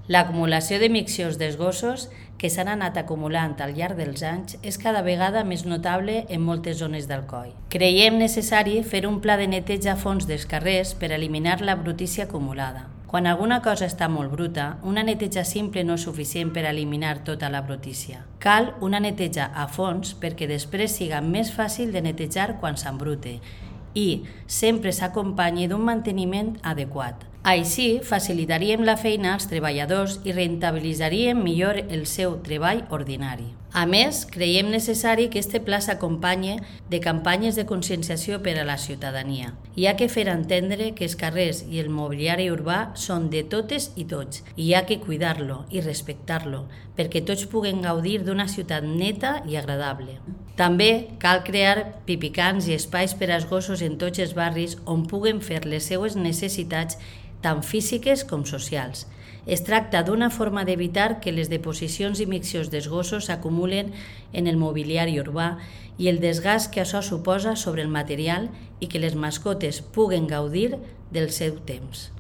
L'acumulació de miccions dels gossos que s'han anat acumulant al llarg dels anys és cada vegada més notable en moltes zones d'Alcoi. Creiem necessari fer un pla de neteja a fons dels carrers per eliminar la brutícia acumulada. Quan alguna cosa està molt bruta, una neteja simple no és suficient per eliminar tota la brutícia. Cal una neteja a fons perquè després siga més fàcil de netejar quan s'embrute i sempre s'acompanyi d'un manteniment adequat. Així, facilitaríem la feina als treballadors i rentabilitzaríem millor el seu treball ordinari. A més, creiem necessari que este pla s'acompanyi de campanyes de conscienciació per a la ciutadania. Hi ha que fer entendre que els carrers i el mobiliari urbà són de totes i tots, i hi ha que cuidar-lo i respectar-lo, perquè tots puguen gaudir d'una ciutat neta i agradable. També cal crear pipicans i espais per als gossos en tots els barris on puguen fer les seues necessitats tant físiques com socials. Es tracta d'una forma d'evitar que les deposicions i miccions dels gossos s'acumulen en el mobiliari urbà i el desgast que això suposa sobre el material i que les mascotes puguen gaudir del seu temps.